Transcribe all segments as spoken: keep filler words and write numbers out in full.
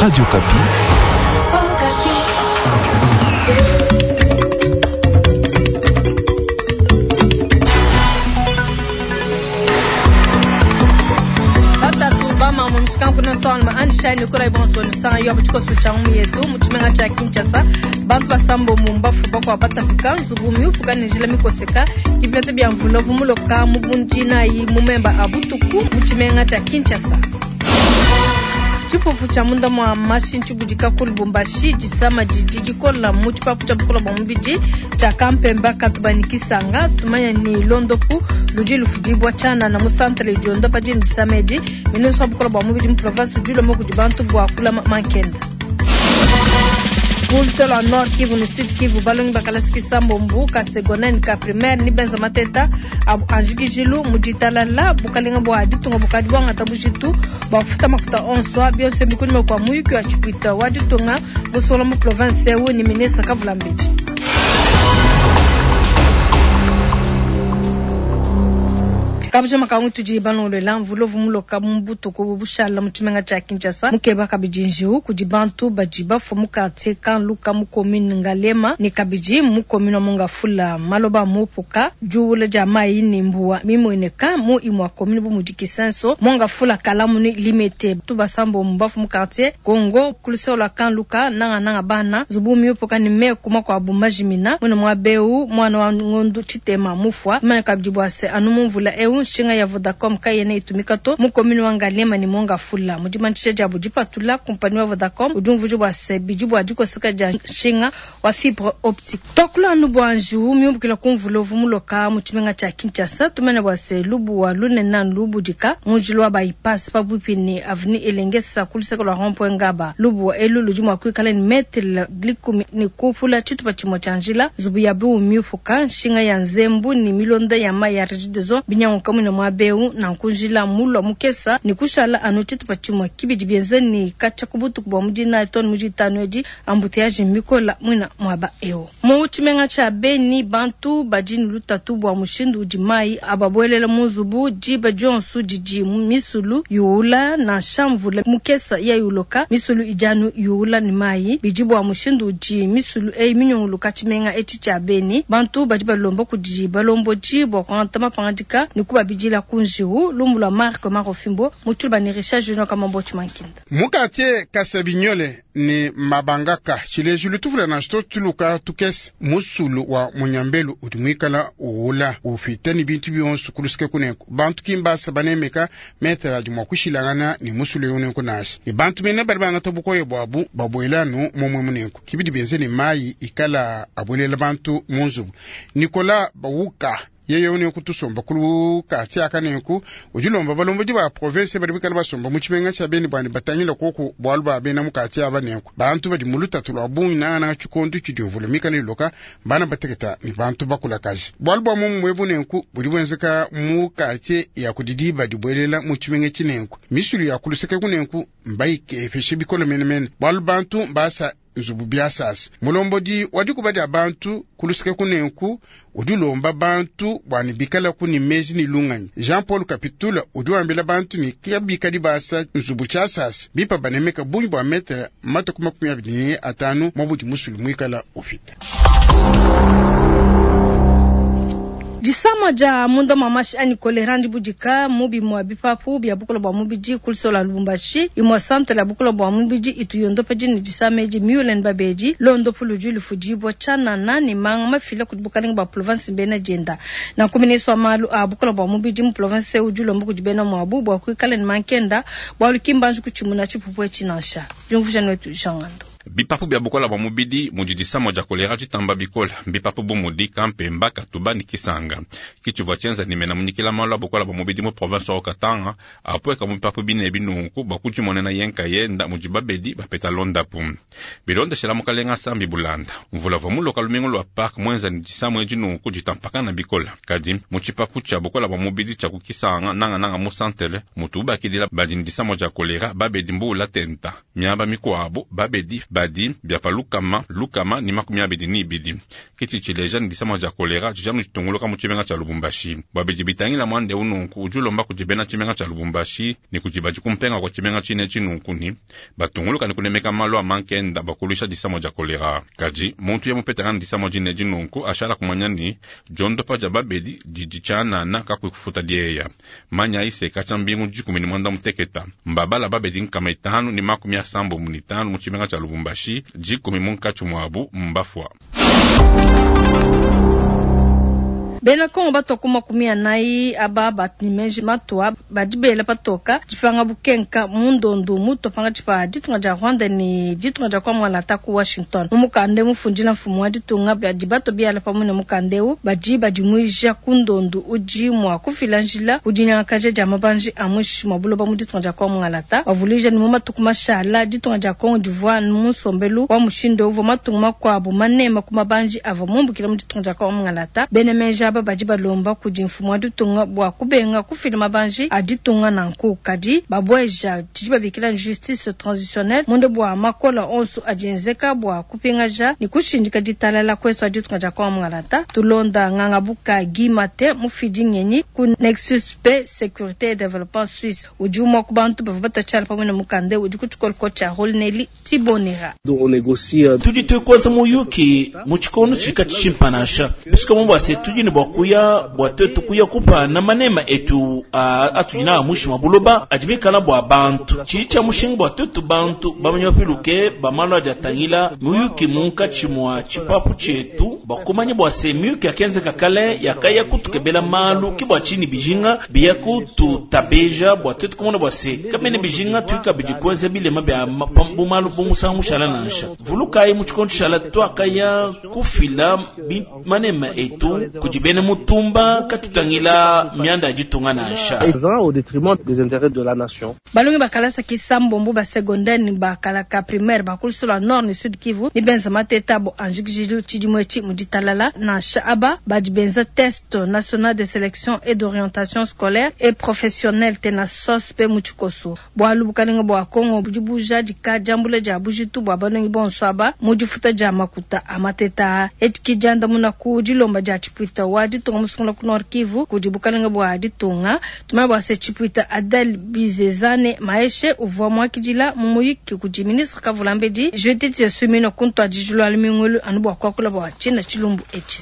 Radio Okapi. Batatu bamama mushikanku salma anishani kola bonso nisanga yo butiko sucha yetu muchimenga cha Kinshasa bantu basambo mumbafu bakwa batapika nzubu miufuka ni njila mikoseka ibete bya mvula vumuloka mubundi nayi mumemba abutuku muchimenga cha Kinshasa. Tshifufu tsha munda mwa mashi ntshibudika ku Lubumbashi disama didi dikola mu tshipapu tshia bukola bua mubidi tshia Kampemba Katubani Kisanga tumanya ni londopu ludi lufudibwa tshianana mu santre diondopa dini disama edi ministre wa bukola bua mubidi mu province udi ulomba kudi bantu bua kulama mankenda. Ku Nord Kivu ni Sud Kivu balongi bakalasi kisambombu ka secondaire ka primaire ni benza mateta abu anjikijilu muditalala bukalenga bua ditunga bukadi bwangata bujitu bua kufuta makuta onso bionso bikunyima kua muyuki wa tshipuita wa ditunga busola mu province eu ni ministre Kavula Mbedi. Kabuja makangu tudi balondola mvula vumuloka mu butuku bushala mu tshimenga tshia Kinshasa mukeba kabidi njiwu kudi bantu badi bafua mu quartier Kanluka mu commune Ngalema ne kabidi mu commune wa Mongafula maloba mupuka diuwula dia mayi ne mbuwa mimueneka mu imua commune bu mudi Kisenso Mongafula Kalamu ne Limete tubasambo mbafu mu quartier Congo kuluseo lua Kanluka nanga nanga bana nzubu miupuka ne meku makuabu majimina mwene mwa beu mwana wa ngondu tshitema mufua mane kabidi bua se anu mu mvula eu nshinga ya Vodacom kayena itumika to mu commune wa Ngalema ne Mongafula mudimanisha diabu dipatula kompani wa Vodacom udi umvuja bua se bidi bua dikoseka dia nshinga wa fibre optique. Tokula anu bua njiwu miumbukila ku mvula uvu muloka mu tshimenga tshia Kinshasa tumene bua se lubuwa lunene lubudika mu njila wa bypass pabuipi ne avenue Elengesa ku luseke lua rond-point Ngaba. Lubuwa elu ludi mua kuikala ne metre likumi ne kupula tshitupa tshimue tshia njila nzubu ya biu miupuka nshinga ya nzembu ne milonda ya mayi ya Regideso binyanguka mwina mwa beu na nkunjila mulwa mukesa ni kushala anu tshitupa tshimue kibidi bienze ni katshia ku butuku bua mudina tone muditanu edi embouteillage mikola mwina mwaba eu mu tshimenga tshia Beni bantu badi ne lutatu bua mushindu udi mayi ababuelela mu nzubu diba dionso didi misulu yuula nansha mvula mukesa ya yuloka misulu idi anu yuula ne mayi bidi bua mushindu udi misulu eyi minyunguluka tshimenga etshi tshia Beni bantu badi balomba kudi balombodi bua kuangata mapangadika ne kubabidila ku njiwu lumbu lua Marc Marofimbo mutshulu ne Richard Junior Kamambo Tshimankinda. Mu quartier Kasabinyole ne Mabangaka tshilejilu tuvula na shito tuluka tukese musulu wa munyambelu udi muikala uwula ufita ne bintu bionso kuluseke kuneko bantu kimbasa banemeka metre adi mua kushilangana ne musulu eu nenku nansha ne bantu mene badi bangata bukoye buabu babuela anu momue munenku kibidi benze ne mayi ikala abuelela bantu mu nzubu. Nicolas Bawuka yeye une kutusomba kulu kati akanenku ujilomba balombodi ba province badi bikala basomba mu tshimenga tshia Beni bwani batangila koku bwalu ba bena mu kati abanenku bantu badi mu lutatu lwa bungi nangana tshikondu tshidi mvula mikala iloka bana bateketa ni bantu bakulakaji bwalu bwa mumu mwebu nenku budi bwenzeka mu kati ya kudidi badi bwelela mu tshimenga tshinenku misulu ya kuluseke kunenku mbayikefeshe bikolo menemene bwalu bantu mbasa nzubu biasasa mulombodi wadikuba dia bantu kuluseke kunenku udi ulomba bantu bwani bikala kuni mezi ni lunganyi. Jean Paul Kapitula udi wambila bantu ni kabikadi basa nzubu tshiasasa bipa banemeka bungi bua metre matuku makumi abidi ne atanu mwabudi musulu muikala ufita. Disama dia munda mwa mashi ani kolera ndibudika mubi mwa bipapu bia bukola bua mubidi kulisola Lubumbashi imwa santre ya bukola bua mubidi itu yondopa dini disama edi miulen babedi londopu ludi lufudibwa tshianana ne manga mafila kudi bukalenga bua province bena dienda na nkuminiswa malu a bukola bua mubidi mu province udi ulomba kudi bena muabu bua kuikala ne mankenda bua lukimbanji kutshimuna tshipupu etshi nansha. Diumvuija wetu Jean Ngando. Bipapu bia bukola bua mubidi mudi disama dia kolera ditamba bikola bipapu bu mudi Kampemba Katuba ne Kisanga kitshivua tshienza ne mena munyikila malu a bukola bua mubidi mu province wa Katanga apueka mu bipapu bine binunku bua kudimonena yenka yenda mudi babedi bapeta londapu bilondeshela mukalenga sambi bulanda mvula vua muloka lumingu lua park muenza ne disama edi nunku ditampakana bikola kadi mu tshipapu tshia bukola bua mubidi tshia ku Kisanga nangananga mu santele mutu ubakidila badi ne disama dia kolera babedi mbuula tenta miaba mikuabu babedi bibadi bia pa lukama lukama ne makumi abidi ne ibidi. Ke tshidi tshileja ne disama dia kolera didi anu ditunguluka mu tshimenga tshia Lubumbashi. Bua bidi bitangila muanda eu nunku, udi ulomba kudi bena tshimenga tshia Lubumbashi ne kudi badi ku mpenga kua tshimenga tshine etshi nunku ne batunguluka ne kunemeka malu a mankenda bua kuluisha disama dia kolera. Kadi muntu ya mupetangana ne disama dine edi nunku ashala kumanya ne diondopa dia babedi didi tshianana kakuyi kufuta dieya. Manya se katshia mbingu dikumi ne muanda muteketa mbabala babedi nkama itanu ne makumi asambombo ne itanu mu tshimenga tshia Lubumbashi, dikumi munkatshi muabu mbafua. Bena Kongo batua ku makumi anayi aba batu ne meji matua badi bela patoka dipanga bukenka mu ndondu mutua pankatshi pa ditunga dia Rwanda ne ditunga dia Kwamouth ku Washington. Mu mukanda mufundila mfumu wa ditunga badi batua biala pamue ne mukanda eu badi badimuija ku ndondu udi mua kufila njila ku dinyangakaja dia mabanji a muinshi mua buloba mu ditunga dia Kwamouth. Bavuluija ne mu matuku mashala ditunga dia Kongo divua mu nsombelu wa mushindu uvua matunga makuabu manema ku mabanji avua mumbukila mu ditunga dia Kwamouth. Bena meji aba badi balomba kudi mfumu wa ditunga bua kubenga kufila mabanji a ditunga nanku kadi babueja tshidi babikila justice transitionnelle munde bua makola onso adi enzeka bua kupingaja ne kushindika ditalala kwesu a ditunga dia Kwamouth. Tulonda ngangabuka Guy Mate mufidi ngenyi ku Nexus P Sécurité et Développement Suisse udi umue ku bantu bavua batatshala pamue ne mukanda udi ku tshikoloko tshia Rolneli Tibonera. Tudi tuikoza muyuki mu tshikondo tshika tshimpanasha bisika mu bua se tudi ne bua kuya bua twetu kuya kupana manema etu atudi na mushi mwa buloba adi bikala bua bantu tshidi tshia mushinga bua twetu bantu bamanya bapiluke bamalu adi atangila muyuki munkatshi mua tshipapu tshietu bakumanya bua se miyuki yakenzeka kale yakaya kutukebela malu ki bua tshini bijinga biya kututabeja bua twetu kumona bua se kamene bijinga tuika bidi kuenza bilema bia bu malu bu musangu mushala nansha vulukayi mu tshikondo tshishala twakaya kufila manema etu kudi bena mutumba katutangila mianda ya ditunga nansha. Au détriment des intérêts de la nation. Balongi bakalasa kisambombo ba secondaire ni bakalaka primaire bakulusula nord ni sud Kivu ni benza mateta bo anjikijilu tshidimu etshi mu ditalala nansha aba badi benza test national de sélection et d'orientation scolaire et professionnelle tena S O S pe mu tshikoso bualu bukalenga bua Kongo budi buja dika diambula dia bujitu bua balongi bonso aba mu difuta dia makuta a mateta etshi diandamuna ku dilomba dia tshipuita wa ditunga musungula ku Nord Kivu kudi bukalenga bua ditunga tumanya bua se tshipuita Adel Bizezane Maeshe uvua muakidila mu muyiki kudi ministre Kavulambedi Judith Suminwa kuntwadijilwa lumingulu anu bua kuakula bua tshina tshilumbu etshi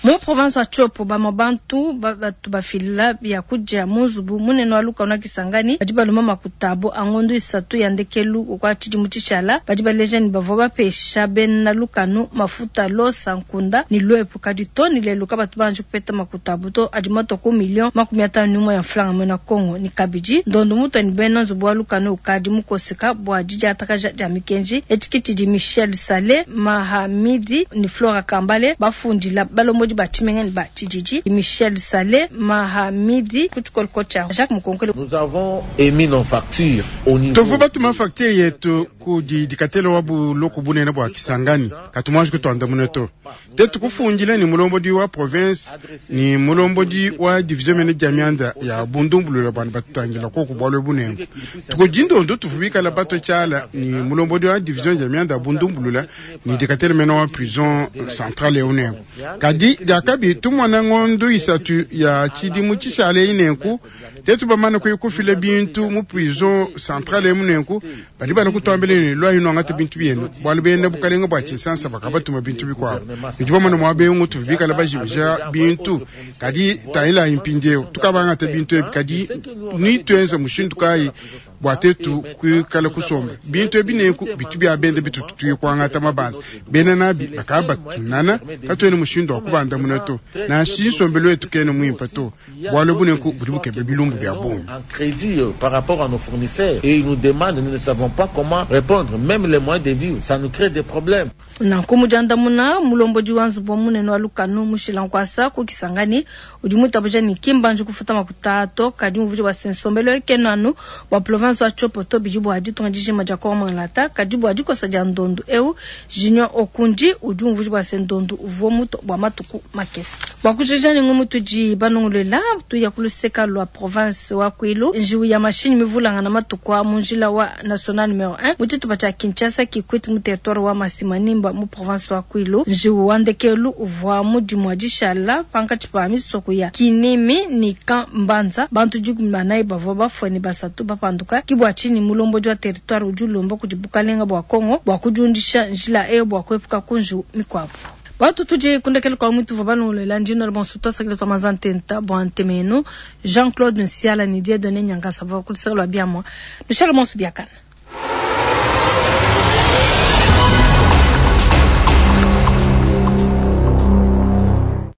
mu province wa Tshopo bamue bantu batu bafila biakudia mu nzubu munene wa lukanu wa Kisangani badi balomba makuta abo a ngondo isatu ya ndekelu kwa tshidimu tshishala badi baleja ne bavua bapesha bena lukanu mafuta losa nkunda ni lwepu kadi to ni lelu kabatu banji kupeta makuta abo to adi matua ku million makumi atanu n'umue ya mfranga mwena Kongo ni kabidi ndondo mutu ni bena nzubu wa lukanu ukadi mukoseka bua didiatakaja dia mikenji etshi tshidi Michel Sale Mahamidi ni Flora Kambale bafundila balombodi ba tshimenga ne ba tshididi Michel Sale Mahamidi ku tshikoloko tshia Jacques Mukonkole. Nous avons émis nos factures au niveau Tovu batuma facture yetu kudi dikatelo wa buloko bunene bua Kisangani katumwaji kutwandamuna to te tukufundile ni mulombodi wa province ni mulombodi wa division mene dia mianda ya bundumbulula bwana batutangila koku bwalwe bunengo tukudindondo tuvubikala bato tshala ni mulombodi wa division dia mianda ya bundumbulula ni dikatelo mene wa prison centrale ya unengo kadi diakabi tumona ngondo isatu ya tshidimu tshishala inenku te tubamana kuyikufila bintu mu prison centrale ya munenku badi bana kutwambila ni lwa ino angata bintu byenu bwalu bene bukalenga bwa tshisansa bakabatuma bintu bikwabo bidi bamana mwa bengu tuvubikala bajibija bintu kadi tayila impindiewu tukabangata bintu ebi kadi nitwenza mushindu kayi bua tetu kuikala kusomba bintu ebi nenku bitu bia bende bitutu tuyikwangata mabanza bena nabi bakaba batunana katuene mushindu wa kubandamuna to nansha nsombelu wetu kene muimpa to bualu bunenku budi bukebe bilumbu bia bungi. En crédit euh, par rapport à nos fournisseurs et ils nous demandent, nous ne savons pas comment répondre, même les moyens de vivre, ça nous crée des problèmes. Nanku mudiandamuna mulombodi wa nzubu wa munene wa lukanu mushila nkwasa ku Kisangani udi mutabuja ni kimbanji kufuta makuta ato kadi muvuji wa se nsombelu ekeno anu bua province. province wa Tshopo to bidi bua ditunga dijima dia Kongo mungalata. Kadi bua dikosa dia ndondu eu, Junior Okundi udi umvuija bua se ndondu uvua mutua bua matuku makese. Bua kujikija ne ngumu tudi banongoluela, tuya ku luseka lua province wa Kwilu, njiwu ya mashinyi mivulangana matuku a mu njila wa national numero un mu tshitupa tshia Kinshasa Kikwit mu territoire wa Masimanimba mu province wa Kwilu. Njiwu wa ndekelu uvua mu dimua dishala pankatshi pa misoko ya Kinimi ne Camp Mbanza. Bantu dikumi ne banayi bavua bafue ne basatu bapanduka. Ke bua tshinyi mulombodi wa territoire udi ulomba kudi bukalenga bua Kongo bua kudiundisha njila eyo bua kuepuka ku njiwu mikuabu. Batu tudi kundekela kwa mwitu vwa balongolola ndino la bonso twasakila twa manza ntenta bua ntemenu Jean-Claude Nsiala ni Dieudonné Nyankasa bua kuluseka lua biamua. Lushala bonso biakana.